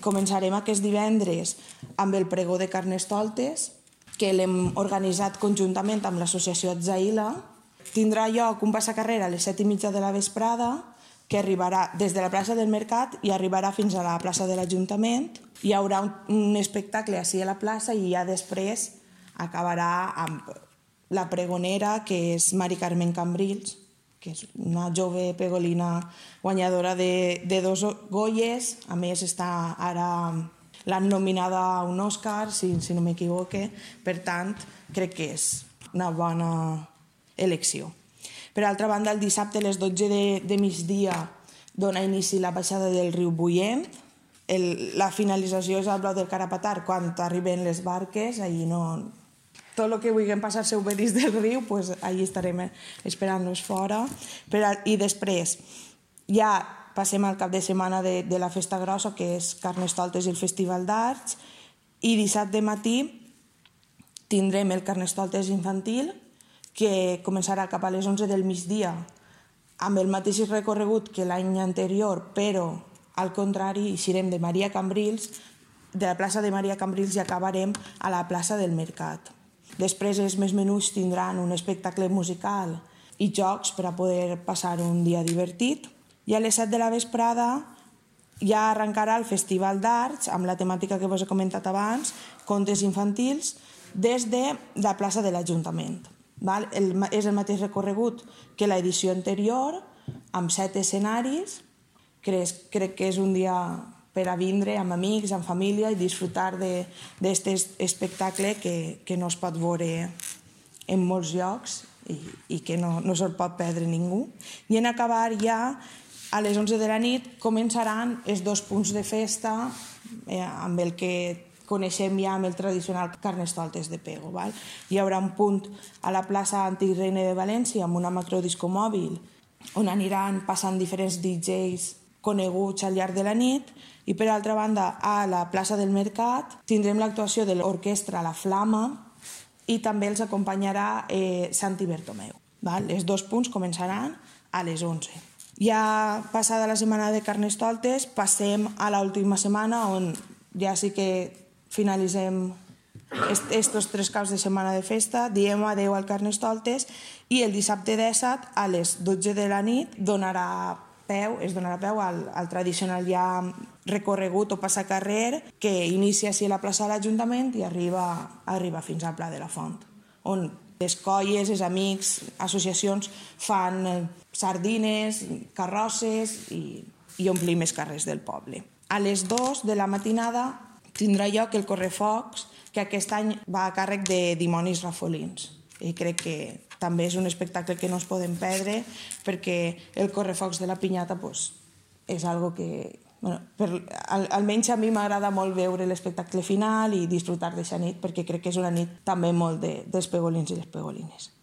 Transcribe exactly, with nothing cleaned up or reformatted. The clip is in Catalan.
començarem aquest divendres amb el pregó de Carnestoltes, que l'hem organitzat conjuntament amb l'associació Atzaïla. Tindrà lloc un passacarrer a les set i mitja de la vesprada, que arribarà des de la plaça del Mercat i arribarà fins a la plaça de l'Ajuntament. Hi haurà un, un espectacle així a la plaça i ja després acabarà amb la pregonera, que és Mari Carmen Cambrils, que és una jove pegolina guanyadora de, de dos Goyes. A més, està ara l'han nominada a un Òscar, si, si no m'equivoque. Per tant, crec que és una bona elecció. Per altra banda, el dissabte a les dotze de, de migdia dona inici la baixada del riu Buient. El, la finalització és al Blau del Carapatar, quan arriben les barques. Allí no... Tot el que vulguem passar-se obedís del riu, pues, allí estarem esperant-nos fora. Per, I després ja passem al cap de setmana de, de la festa grossa, que és Carnestoltes i el Festival d'Arts, i dissabte matí tindrem el Carnestoltes infantil, que començarà cap a les onze del migdia, amb el mateix recorregut que l'any anterior, però al contrari, eixirem de Maria Cambrils, de la plaça de Maria Cambrils, i acabarem a la plaça del Mercat. Després els més menuts tindran un espectacle musical i jocs per a poder passar un dia divertit. I a les set de la vesprada ja arrencarà el Festival d'Arts, amb la temàtica que vos he comentat abans, contes infantils, des de la plaça de l'Ajuntament. El, és el mateix recorregut que l'edició anterior, amb set escenaris. Crec, crec que és un dia per a vindre amb amics, amb família, i disfrutar d'aquest espectacle que, que no es pot veure en molts llocs i, i que no, no se'l pot perdre ningú. I en acabar ja a les onze de la nit començaran els dos punts de festa eh, amb el que coneixem ja amb el tradicional Carnestoltes de Pego. Val? Hi haurà un punt a la plaça Antic Reina de València amb una macrodisco mòbil on aniran passant diferents D Js coneguts al llarg de la nit, i per altra banda a la plaça del Mercat tindrem l'actuació de l'orquestra La Flama i també els acompanyarà eh, Santi Bertomeu. Val? Els dos punts començaran a les onze. Ja passada la setmana de Carnestoltes passem a l'última setmana, on ja sí que finalitzem estos tres caps de setmana de festa, diem adeu al Carnestoltes, i el dissabte disset a les dotze de la nit donarà peu, es donarà peu al, al tradicional ja recorregut o passacarrer que inicia així a la plaça de l'Ajuntament i arriba, arriba fins al Pla de la Font, on les colles, els amics, associacions fan sardines, carrosses i, i omplim els carrers del poble. A les dues de la matinada tindrà lloc el Correfocs, que aquest any va a càrrec de Dimonis Rafolins. I crec que també és un espectacle que no es podem perdre, perquè el Correfocs de la Pinyata pues, és algo que... Bueno, per, al, almenys a mi m'agrada molt veure l'espectacle final i disfrutar d'aquesta nit, perquè crec que és una nit també molt de, dels pegolins i les pegolines.